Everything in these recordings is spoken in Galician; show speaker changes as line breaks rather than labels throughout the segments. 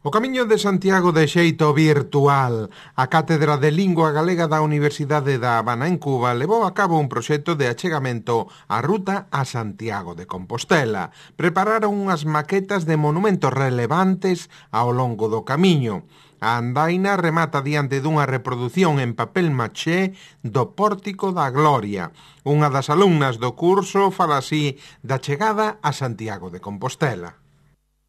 O Camiño de Santiago de xeito virtual. A Cátedra de Lingua Galega da Universidade da Habana en Cuba levou a cabo un proxecto de achegamento á ruta a Santiago de Compostela. Prepararon unhas maquetas de monumentos relevantes ao longo do camiño. A andaina remata diante dunha reproducción en papel maché do Pórtico da Gloria. Unha das alumnas do curso fala así da chegada a Santiago de Compostela.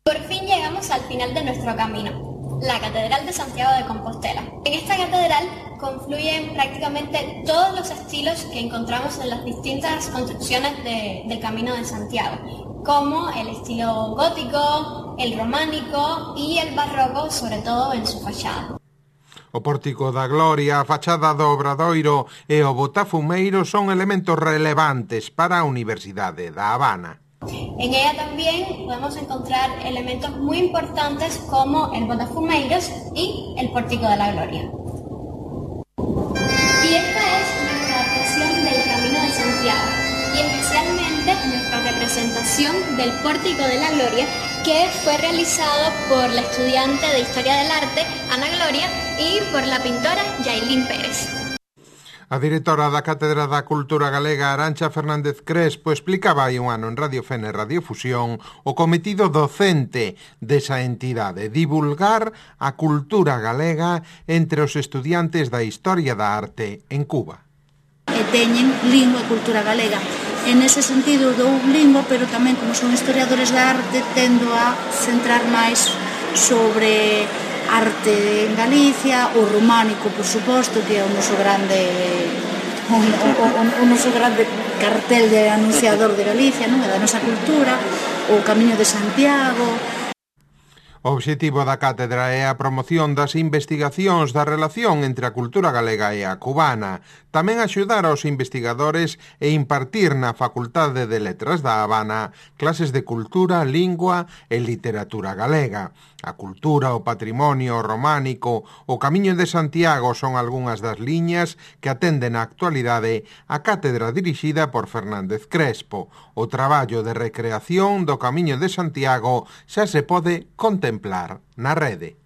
Por fin llegamos al final de nuestro camino, la Catedral de Santiago de Compostela. En esta catedral confluyen prácticamente todos los estilos que encontramos en las distintas construcciones del Camino de Santiago, como el estilo gótico, el románico y el barroco, sobre todo en su fachada.
O Pórtico da Gloria, a fachada do Obradoiro e o Botafumeiro son elementos relevantes para a Universidade da Habana.
En ella también podemos encontrar elementos muy importantes como el Botafumeiros y el Pórtico de la Gloria. Y esta es nuestra adaptación del Camino de Santiago y especialmente nuestra representación del Pórtico de la Gloria, que fue realizado por la estudiante de Historia del Arte, Ana Gloria, y por la pintora Yailín Pérez.
A directora da Cátedra da Cultura Galega, Arantxa Fernández Crespo, explicaba hai un ano en Radio Fene Radiofusión o cometido docente desa entidade, divulgar a cultura galega entre os estudiantes da Historia da Arte en Cuba.
E teñen lingua e cultura galega. En ese sentido dou lingua, pero tamén como son historiadores da arte tendo a centrar máis sobre arte en Galicia, o románico, por suposto, que é o noso grande cartel de anunciador de Galicia, non? Da nosa cultura, o Camiño de Santiago.
O obxectivo da cátedra é a promoción das investigacións da relación entre a cultura galega e a cubana, tamén axudar aos investigadores e impartir na Facultade de Letras da Habana clases de cultura, lingua e literatura galega. A cultura, o patrimonio, o románico, o Camiño de Santiago son algunhas das liñas que atenden na actualidade a cátedra dirixida por Fernández Crespo. O traballo de recreación do Camiño de Santiago xa se pode contemplar na rede.